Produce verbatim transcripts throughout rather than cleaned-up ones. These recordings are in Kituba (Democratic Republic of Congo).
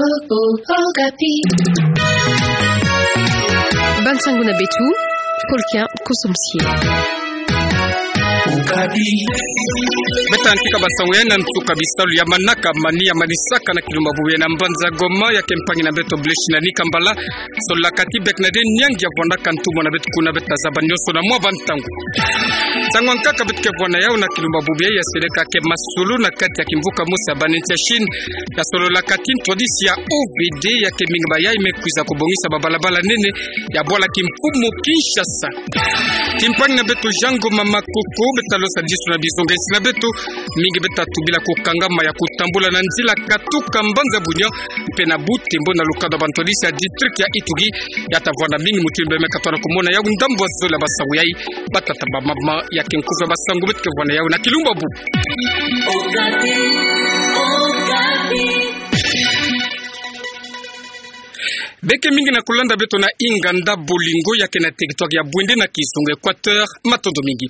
Okapi. Bansangu na beto, Paul Kien Kosomsie. Beta yantika bansangu ya na nsuka bisalu ya manaka amani ya manisaka na kilumbu ya bubu ya na mbanza Goma ya ke mpangi na beto Blaise Nani Kambala. Sololaka ti Bernadette Nyangi ya vwandaka ntumwa na beto kuna beta zaba nyonso na mwa bantangu. Nsangu ya nkaka beto ke vwa na yau na kilumbu ya bubu ya seleka ke masolo na kati ya kimvuka mosi ya banene ya Chine. Ya sololaka ti ntwadisi ya O V D ya ke mingi ba yai me kwiza kobongisa babalabala nene ya bwala kimfumu Kinshasa. Timpangi na beto Jean Ngoma Makoko, beta losa disu na bizonga nsi na beto. Mingi beta tubila kokangama ya kotambula na nzila katuka mbanza Bunia, mpe na Butembo na lukadu ya bantwadisi ya district ya Ituri. Ya ta vwanda mingi mutindu bameka tona komona yau ndambu ya zole ya bansangu yai. Batata, bamama, ya ke nkufi ya bansangu beto ke vwa na yau na kilumbu ya bubu. Beke mingi na kolanda beto na inganda Bolingo ya ke na territoire ya Bwende na kizunga Equateur, matondo mingi.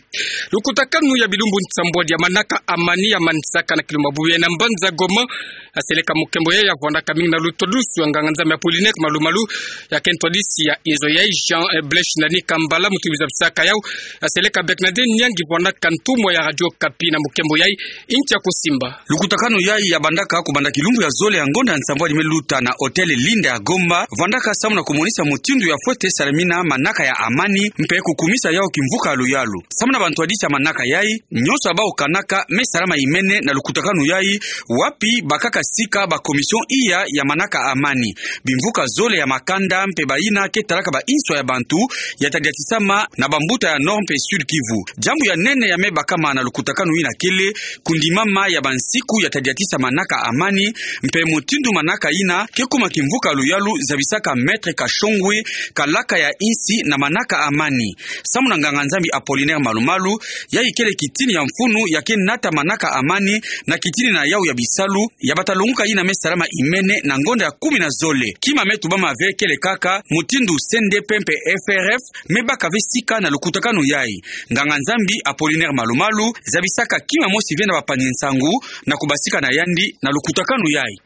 Lukutakanu ya bilumbu nsambwadi ya manaka amani ya manisaka na kilumbu ya bubu ya na mbanza Goma, ya seleka mukembo ya ya vwandaka mingi na lutwadusu ya nganga-Nzambi Apollinaire Malu-Malu, ya ke ntwadisi ya inzo yai Jean, eh, Blaise Nani Kambala, mutindu zabisaka yau, ya seleka Bernadette Nyangi vwandaka ntumwa ya Radio Okapi na mukembo yai, ntia kosimba. Lukutakanu yai ya bandaka kobanda kilumbu ya zole ya ngonda ya nsambwadi me luta na Hotel Linda ya Gomba, vwandaka samu na komonisa mutindu ya fwete salamina manaka ya amani, mpe kokumisa yau kimvuka ya luyalu. Samu na bantwadisi ya manaka yai, nyonso ya bau kanaka me salama imene na lukutakanu yai, wapi bakaka sika ba commission iya ya manaka amani. Bimvuka zole ya makanda mpe bayina ke talaka ba inswa ya bantu ya tadiatisama na bambuta ya Nord mpe Sud Kivu. Diambu ya nene ya me bakama na lukutakanu yina kele kondimama ya bansiku ya tadiatisa manaka amani, mpe mutindu manaka yina ke kuma kimvuka ya luyalu, zabisaka Maître Kashongwe, kalaka ya insi na manaka amani. Samu na nganga-Nzambi Apollinaire Malu-Malu, yai kele kitini ya mfunu ya ke nata manaka amani na kitini na yau ya bisalu ya bata longuka yina me salama imene na ngonda ya kumi na zole. Kima me tubama ve kele kaka mutindu C N D P mpe F R F me baka ve sika na lukutakanu yai. Nganga-Nzambi Apollinaire Malu-Malu zabisaka kima mosi ve na bapangi nsangu na kobasika na yandi na lukutakanu yai.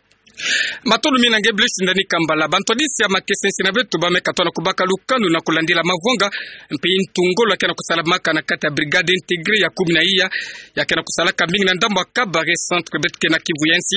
Matondo mingi na nge Blaise Nani Kambala. Bantwadisi ya makesa nsi na beto bameka tona kobaka lukanu na kolandila mavwanga mpe ntu ngolo ya ke na kosalamaka na kati ya brigade intégrée ya kumi na iya, ya ke na kosalaka mingi na ndambu ya Kabare centre beto ke na Kivu ya nsi.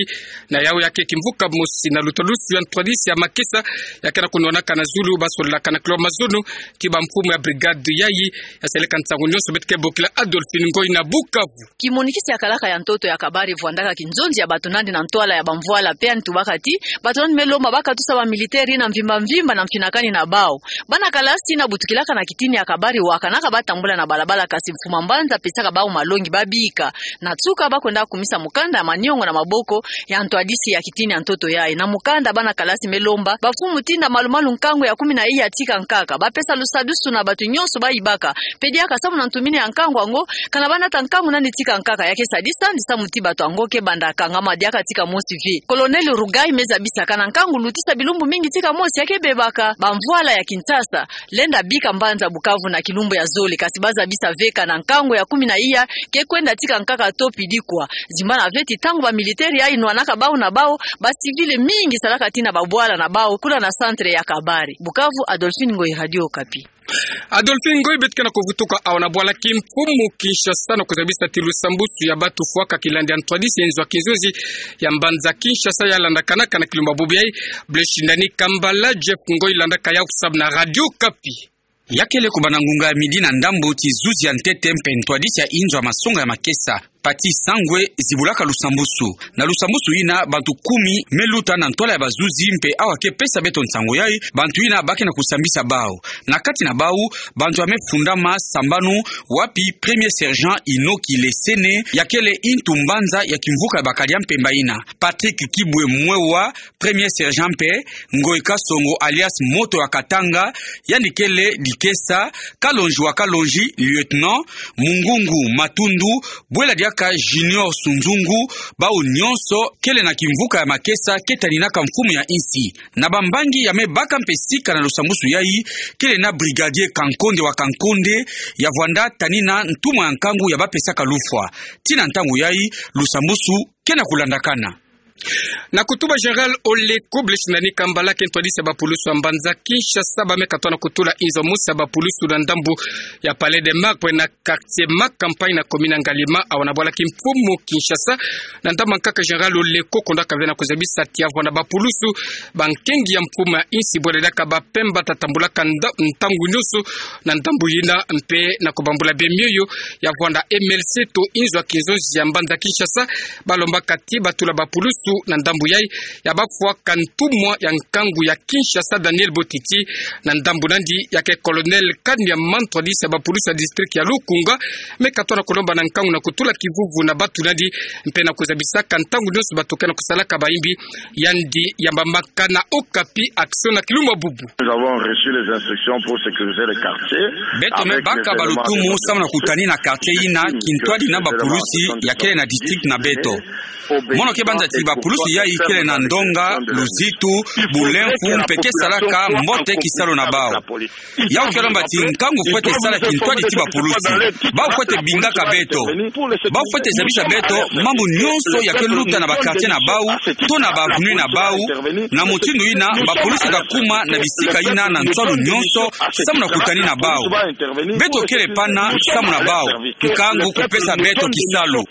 Na yau ya ke kimvuka mosi na lutwadusu ya ntwadisi ya makesa ya ke na konwanaka na zulu, basololaka na kilo mazono ti bamfumu ya brigade yai. Ya seleka nsangu nyonso beto ke bokila Adolphine Ngoy na Bukavu. Kimonikisi ya kalaka ya ntoto ya Kabare vwandaka kinzonzi ya bato nandi na ntwala ya bamvwala, mpe yandi tubaka ti bato nandi me lomba bakatusa bamilitaire yina mvimba mvimba na mfinakani na bau. Bana kalasi yina butukilaka na kitini ya Kabare wakanaka batambula na balabala, kasi mfuma mbanza apesaka bau malongi babika. Na nsuka bakwenda kumisa mukanda ya maniongo na maboko ya ntwadisi ya kitini ya ntoto yai. Na mukanda bana kalasi me lomba bamfumu tinda malu-malu nkangu ya kumi na iya tika nkaka, bapesa lusadusu na bato nyonso bayibaka, mpe diaka samu na ntumini ya nkangu yango, kana banata nkangu nani tika nkaka ya ke sadisa yandi samu ti bato yango ke banda kangama diaka tika mosi ve. Colonel Rugai me zabisa kana nkangu lutisa bilumbu mingi tika mosi ya ke bebaka. Bamvwala ya Kinshasa lenda bika mbanza Bukavu na kilumbu ya zole, kasi bazabisa ve kana nkangu ya kumi na iya ke kwenda tika nkaka to pidi kwa. Zimbana ve ti ntangu bamilitaire yai nwanaka bau na bau, bacivil mingi salaka tii na babwala na bau kuna na centre ya Kabare. Bukavu, Adolphine Ngoy, Radio Okapi. Adolphine Ngoy, beto ke na kovutuka awa na bwala kimfumu Kinshasa na kozabisa ti lusambusu ya bato fwaka kilandi ya ntwadisi ya inzo ya kinzonzi ya mbanza Kinshasa ya landakanaka na kilumbu ya bubu yai. Blaise Nani Kambala, Jeff Ngoy landaka yau samu na Radio Okapi. Ya kele kobanda ngunga ya midi na ndambu ti zuzi ya ntete mpe ntwadisi ya inzo ya masonga ya makesa, Pathy Sangwe, zibulaka lusambusu. Na lusambusu yina, bantu kumi me luta na ntwala ya bazuzi, mpe awa ke pesa beto nsangu yai, bantu yina ba ke na kosambisa bau. Na kati na bau, bantu ya me fundama sambanu, wapi premier sergent Inoki Lesene, ya kele ntu mbanza ya kimvuka ya bakadi ya mpemba yina. Patrick Kibwe Mwewa, premier sergent, mpe Ngoy Kasongo alias Moto ya Katanga, yandi kele Dikesa, Kalonji wa Kalonji, lieutenant, Mungungu Matundu, bwela diaka Junior Sunzungu, bau nyonso kele na kimvuka ya makesa ke taninaka mfumu ya insi. Na bambangi ya me baka mpe sika na lusambusu yai, kele na brigadier Kankonde wa Kankonde, ya vwanda tanina ntumwa ya nkangu ya bapesaka lufwa. Tii na ntangu yai, lusambusu ke na kolandakana. Na kutuba Général Oleko, bele shinda ni kamba lake ntwadisi ya bapulusu ya mbanza Kinshasa ba me katoa na kutula inzo mosi ya bapulusu na ndambu ya Palais des Martyrs na quartier Ma Campagne na commune ya Ngaliema, awa na bwala kimfumu Kinshasa. Na ndambu ya nkaka, Général Oleko kondaka ve na kuzabisa ti ya vwanda bapulusu, bankengi ya mfumu ya insi, bwele diaka bapemba, ta tambulaka nda-, ntangu nyonso na ndambu yina, mpe na kubambula bemioyo ya vwanda M L C to inzo ya kinzonzi ya mbanza Kinshasa, balombaka ti batula bapulusu na ndambu yai, ya bafwaka ntumwa ya nkangu ya Kinshasa, Daniel Botiti, na ndambu nandi ya ke Colonel Kanyama, ntwadisi ya bapulusu ya district ya Lukunga, me katoa na kulomba na nkangu na kutula kivuvu na batu nandi, mpe na kuzabisaka ntangu nyonso bato ke na kusalaka bayimbi. Yandi yambamaka na Okapi Action na kilumbu ya bubu. Nous avons reçu les instructions pour sécuriser les quartiers. Beto me baka balutumu samu na kutanina quartier yina kintwadi na bapulusi ya kele na district na beto. Mono ke banza ti bapulusi yai kele na ndonga, luzitu, bulemfu, mpe ke salaka mbote kisalu na bau. Yau ke lomba ti nkangu fwete sala kintwadi ti bapulusi. Bau fwete bingaka beto. Bau fwete zabisa beto mambu nyonso ya ke luta na ba quartier na bau, to na ba avenue na bau. Na mutindu yina, bapulusi ta kuma na bisika yina na nswalu nyonso, samu na kutanina bau. Beto kele pana samu na bau. Nkangu kupesa beto kisalu.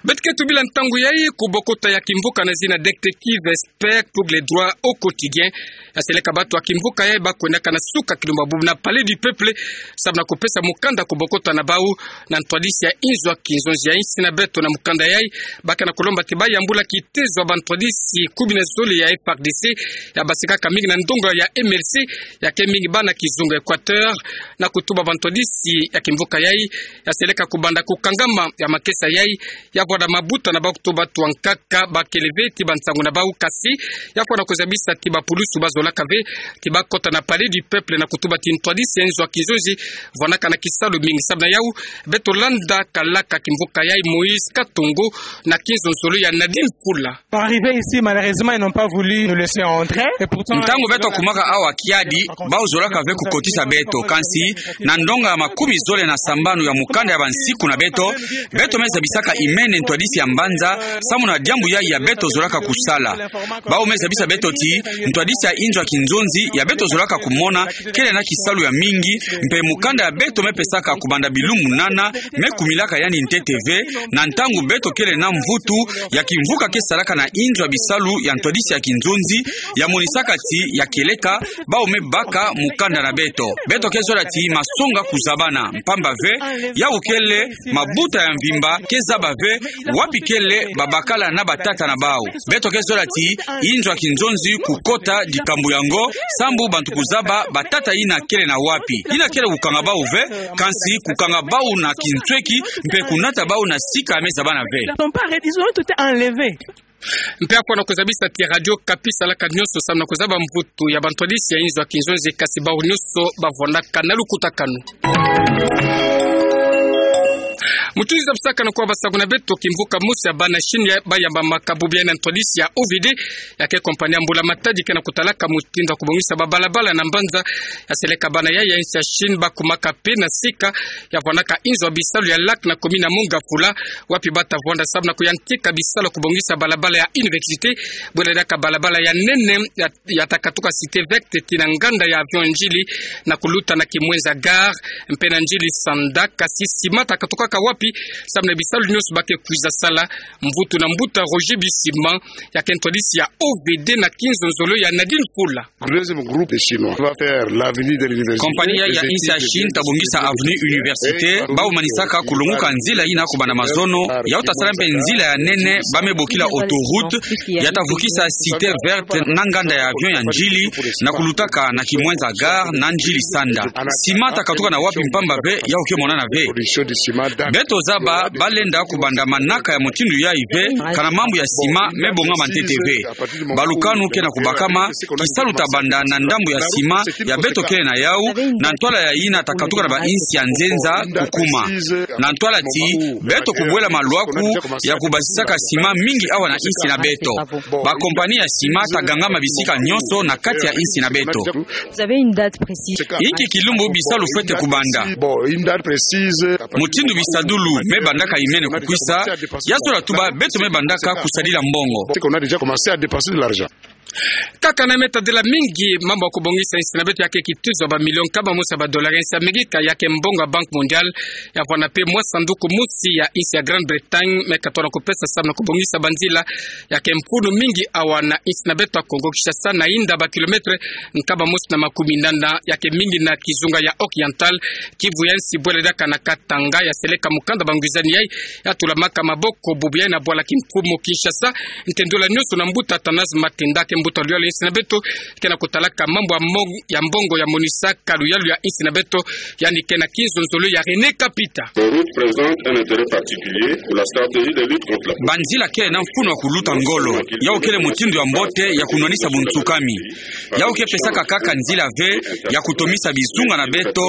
Beto ke tubila ntangu yai kubokota ya kimvuka na zina Détective Expert pour les droits au quotidien. Ya seleka bato ya kimvuka yai ba kwendaka na suka kilumbu ya bubu na Palais du Peuple, samu na kupesa mukanda kubokota na bau na ntwadisi ya inzo ya kinzonzi ya insi na beto. Na mukanda yai, ba ke na kulomba ti ba yambula kitezo ya bantwadisi kumi na zole ya F A R D C, ya basikaka mingi na ndonga ya M L C, ya ke mingi bana kizunga Équateur. Na kutuba bantwadisi ya kimvuka yai, ya seleka kubanda kukangama ya makesa yai, ya vwanda mabuta na bau kutuba twa nkaka ba kele ve ti bansangu na bau, kasi ya fwana kuzabisa ti bapulusu ba zolaka ve ti ba kota na Palais du Peuple na kutuba ti ntwadisi ya inzo ya kinzonzi vwandaka na kisalu mingi. Samu na yau, beto landa kalaka kimvuka yai Moïse Katongo na kinzonzolo ya Nadine Fula. Arrivés ici, malheureusement, ils n'ont pas voulu nous laisser entrer. Et pourtant, ntangu beto kumaka awa kiadi, bau zolaka ve kukotisa beto. Kansi, na ndonga ya makumi zole na sambanu ya mukanda ya bansiku na beto, beto me zabisaka imene ntwadisi ya mbanza, samu na diambu yai ya beto zolaka kusala. Bau me zabisa beto ti ntwadisi ya inzo ya kinzonzi ya beto zolaka kumona kele na kisalu ya mingi, mpe mukanda ya beto me pesaka kubanda bilumbu nana me kumilaka yandi ntete ve, na ntangu beto kele na mvutu ya kimvuka ke salaka na inzo ya bisalu ya ntwadisi ya kinzonzi, ya monisaka ti ya kieleka bau me baka mukanda na beto. Beto ke zola ti masonga kuzabana, mpamba ve, yau kele mabuta ya mvimba ke zaba ve wapi kele babakala na batata na bau. Beto ke zola ti inzo ya kinzonzi kukota dikambu yango, sambu bantu kuzaba batata yina kele na wapi. Yina kele kukanga bau ve, kansi kukanga bau na kinsweki, mpe kunata bau na sika ya me zabana ve. Ils ont pas arrêté, ils ont tout enlevé. Mpe ya fwana kuzabisa ti Radio Okapi salaka nyonso samu na kuzaba mvutu ya bantwadisi ya inzo ya kinzonzi, kasi bau nyonso ba vwandaka na lukutakanu. Mutindu zabisaka na kwa basangu na beto, kimvuka mosi ya bana Chine ya ba yambamaka bubu yai na ntwadisi ya O V D, ya ke compagnie ya mbula-matadi ke na kutalaka mutindu ya kubongisa babalabala na mbanza. Ya seleka bana yai ya insi ya Chine ba kumaka pe na sika ya vwandaka inzo ya bisalu ya Lac na commune ya Mont-Ngafula, wapi ba ta vwanda samu na kuyantika bisalu ya kubongisa balabala ya université, bwela diaka balabala ya nene ya, ya ta katuka Cité Verte tii na nganda ya avion Ndjili na kuluta na Kimwenza Gare, mpe na Ndjili Sanda, kasi sima ta katukaka wapi, samu na bisalu nyonso ba ke kwiza sala. Mvutu na mbuta Roger Bisimwa, ya ke ntwadisi ya O V D na kinzonzolo ya Nadine Fula. Deuxième groupe de Chinois va faire l'avenue de l'université. Compagnie ya insi ya Chine ta bongisa avenue université, bau manisaka kulonguka nzila yina kubanda mazono, yau ta sala mpe nzila ya nene ba me bokila autoroute, ya ta vukisa Cité Verte na nganda ya avion ya Ndjili, na kulutaka na Kimwenza Gare na Ndjili Sanda. Sima ta katuka na wapi, mpamba ve, yau ke monana ve. Beto zaba ba lenda kubanda manaka ya mutindu yai ve, kana mambu ya sima me bongama ntete ve. Balukanu ke na kubakama, kisalu ta banda na ndambu ya sima ya beto kele na yau, na ntwala ya yina ta katuka na ba insi ya nzenza kukuma. Na ntwala ti, beto kubwela malwaku ya kubasisaka sima mingi awa na insi na beto. Ba compagnie ya sima ta gangama bisika nyonso na kati ya insi na beto. Vous avez une date précise ? Inki kilumbu bisalu fwete kubanda ? Bon, une date précise. Mutindu bisalu Lu me bandaka imene kukwisa, ya zola tuba beto me bandaka kusadila mbongo. Kaka na me tadila mingi mambu ya kubongisa insi na beto ya ke kituzo ya ba million nkama mosi ya ba dollars ya insi ya Amerika ya ke mbongo ya Banque Mondiale, ya vwanda mpe mwa sanduku mosi ya insi ya Grande-Bretagne me katona kupesa samu na kubongisa banzila ya ke mfunu mingi awa na insi na beto ya Kongo Kinshasa, na inda ba kilomètre nkama mosi na makumi nana ya ke mingi na kizunga ya Oriental Kivu ya nsi, bwela diaka na Katanga, ya seleka mukanda bangwizani yai ya tulamaka maboko bubu yai na bwala kimfumu Kinshasa. Ntendula nionso na mbuta Athanase Matenda, ke mbuta luyalu ya insi na beto, ke na kutalaka mambu ya mong-, ya mbongo ya monisaka luyalu ya insi na beto, yandi ke na kinzonzolo ya René Kapita. Les routes présentent un intérêt particulier pour la stratégie de lutte contre la Banzila kele na mfunu wa kuluta ngolo. Yau kele mutindu ya mbote ya kunwanisa bunsukami. Yau ke pesaka kaka nzila ve ya kutomisa bizunga na beto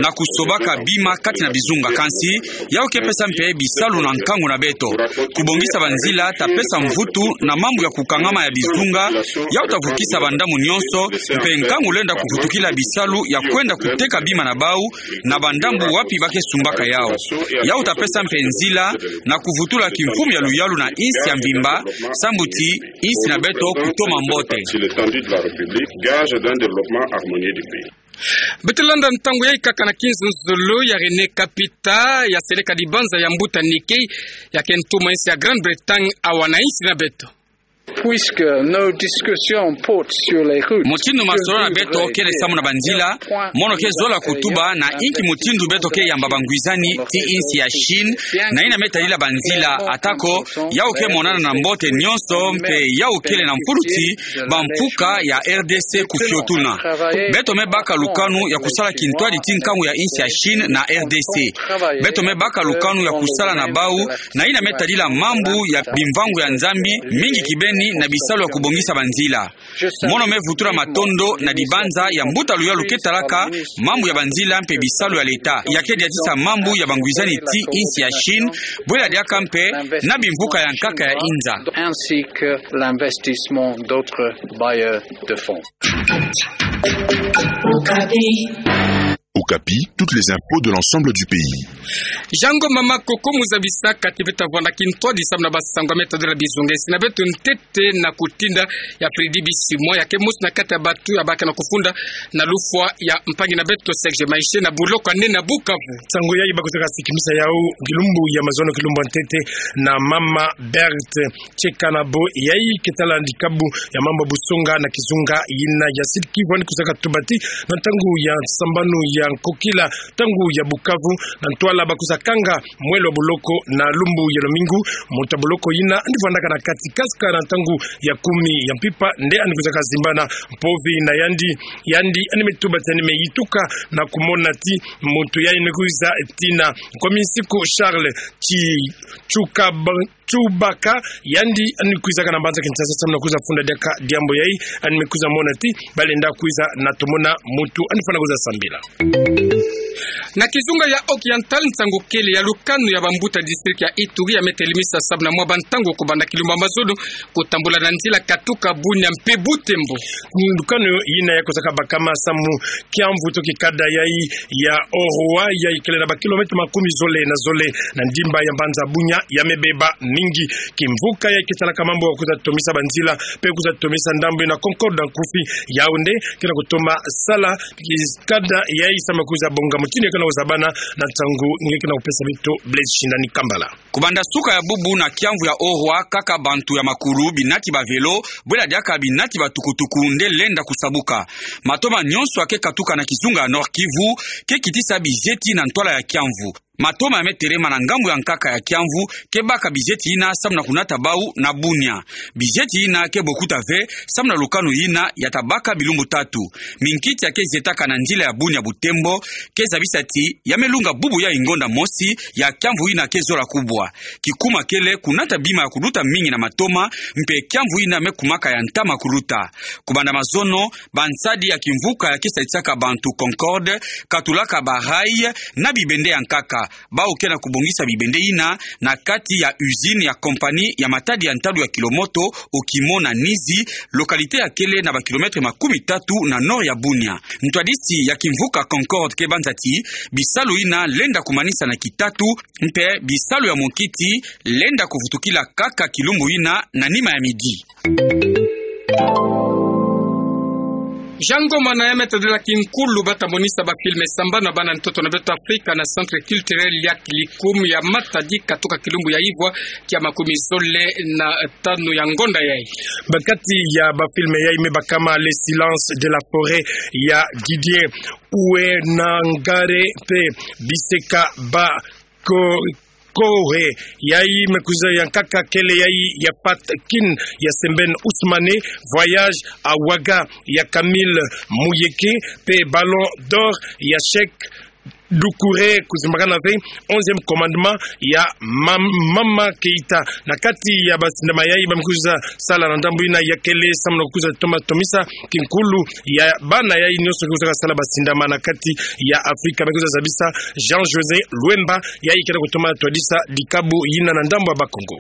na kusobaka bima kati na bizunga. Kansi, yau ke pesa mpe bisalu na nkangu na beto. Kubongisa banzila ta pesa mvutu na mambu ya kukangama ya bizunga. Yau ta vukisa bandambu nionso, mpe nkangu lenda kuvutukila bisalu ya kwenda kuteka bima na bau na bandambu wapi ba ke sumbaka yau. Yau ta pesa mpe nzila na kuvutula kimfumu ya luyalu na insi ya mvimba, sambu ti insi na beto kutoma mbote. Sur l'étendue de la République, gage d'un développement harmonieux du pays. Beto landa ntangu yai kaka na kinzonzolo ya René Kapita, ya seleka dibanza ya mbuta Nicky, ya ke ntuma insi ya Grande-Bretagne awa na insi na beto. Puisque nos discussions portent sur les routes, mutindu masolo na beto kele samu na banzila, mono ke zola kutuba na inki mutindu beto ke yamba bangwizani ti insi ya Chine na yina me tadila banzila, atako yau ke monana na mbote nionso, mpe yau kele na mfuluti bamfuka ya R D C kufiotuna. Beto me baka lukanu ya kusala kintwadi ti nkangu ya insi ya Chine na R D C. Beto me baka lukanu ya kusala na bau na yina me tadila mambu ya bimvangu ya Nzambi, mingi kibeni na bisalu ya kubongisa banzila. Mono me vutula matondo na dibanza ya mbuta luyalu ke talaka mambu ya banzila mpe bisalu ya leta, ya ke diatisa mambu ya bangwizani ti insi ya Chine, bwela diaka mpe na bimvuka ya nkaka ya inza. Ainsi que l'investissement d'autres bailleurs de fonds. Okapi, toutes les infos de l'ensemble du pays. Jango mama Koko Muzabisa, kati beto vwanda kintwadi samu na basango me tadila bizunga ya insi na beto ntete na kutinda ya Freddy Bisimwa, ya ke mosi na kati ya batu ya ba ke na kufunda na lufwa ya mpangi na beto Serge Maishe na boloko ya nene ya Bukavu. Nsangu yai ba kwiza ka sikimisa yau kilumbu ya mazono, kilumbu ya ntete, na mama Berthe Tshekana bo yai ke tala ndikabu ya mambu ya busonga na kizunga yina ya Sud-Kivu, yandi kwiza ka tuba ti na ntangu ya sambanu ya nkokila, ntangu ya Bukavu, na ntwala ba kwiza kanga mwelo wa boloko na lumbu ya lumingu, muntu wa boloko yina yandi vwandaka na kati, kasika na ntangu ya kumi ya mpimpa nde yandi kwiza ka zimbana mpovi na yandi. Yandi yandi me tuba ti yandi me yituka na kumona ti muntu yai yandi kwiza tina Nkominsiku Charles Tshi-, Tshukab-, Tshubaka, yandi yandi kwizaka na mbanza Kinshasa samu na kwiza funda diaka diambu yai, yandi me kwiza mona ti ba lenda kwiza na tomona muntu yandi fwana kwiza sambila. Na kizunga ya Oriental, nsangu kele ya lukanu ya bambuta district ya Ituri ya me telemisa samu na mwa bantangu kubanda kilumbu ya mazono kutambula na nzila katuka Bunia mpe Butembo. Lukanu yina ya kwizaka bakama samu kiamvu to kikada yai ya Oroa, yai kele na ba kilomètre makumi zole na zole na ndimba ya mbanza Bunia, ya me beba mingi. Kimvuka yai ke talaka mambu ya kwiza tomisa banzila mpe kwiza tomisa ndambu na Concorde ya nkufi, yau nde ke na kutoma sala kikada yai samu na kwiza bonga mutindu ya ke na kuzabana. Na nsangu nge ke na kupesa beto Blaise Shindani Kambala. Kubanda suka ya bubu na kiamvu ya Oroa, kaka bantu ya makulu, binati ba vélo, bwela diaka binati ba tukutuku nde lenda kusabuka. Matoma nyonso ya ke katuka na kizunga ya Nord-Kivu ke kitisa bizeti na ntwala ya kiamvu. Matoma ya me telema na ngambu ya nkaka ya kiamvu ke baka bizeti yina samu na kunata bau na Bunia. Bizeti yina ke bokuta ve samu na lukanu yina ya ta baka bilumbu tatu. Minkiti ya ke zietaka na nzila ya Bunia Butembo ke zabisa ti ya me lunga bubu yai ngonda mosi ya kiamvu yina ke zola kubwa. Kikuma kele kunata bima ya kuluta mingi na matoma, mpe kiamvu yina me kumaka ya ntama kuluta. Kubanda mazono, bansadi ya kimvuka ya ke sadisaka bantu Concorde katulaka ba rails na bibende ya nkaka. Bawu ke na kubongisa bibende yina na kati ya usine ya compagnie ya matadi ya ntalu ya kilomoto Okimo na Nizi, localité ya kele na ba kilomètre makumi tatu na nord ya Bunia. Ntwadisi ya kimvuka Concorde ke banza ti bisalu yina lenda kumanisa na kitatu, mpe bisalu ya mokiti lenda kuvutukila kaka kilumbu yina na nima ya midi. Jean Ngoma na ya meta de la kinkulu bata monisa ba filme sambana bana ntoto na beto Afrika na Centre Culturel ya Kilikum ya Matadi katuka kilumbu ya ivwa kia makumi zole na tanu ya ngonda yai. Ba kati ya ba filme yai me bakama Le Silence de la Forêt ya Didier Ouenangare mpe Biseka ba ko Kohe, yai me kwiza ya nkaka kele yai ya Fatkin ya Sembène Ousmane, Voyage à Ouaga ya Camille Muyeke, mpe Ballon d'Or ya Cheikh Doucouré, kuzimbakana ve Onzième Commandement ya Mam-, Mama Keita. Na kati ya ba sindama yai ba me kwiza sala na ndambu yina ya kele samu na kwiza toma tomisa kinkulu ya bana yai nyonso ke kwiza sala ba sindama na kati ya Afrika, me kwiza zabisa Jean José Luemba, yai ke na kutoma twadisa dikabu yina na ndambu ya Bakongo.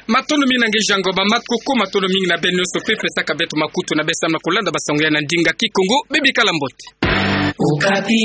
Matondo mingi na nge Jean Ngoma, makoko, matondo mingi na beno nyonso mpe pesaka beto makutu na beno samu na kulanda ba sango yai na ndinga Kikongo, bebikala mbote. Okapi.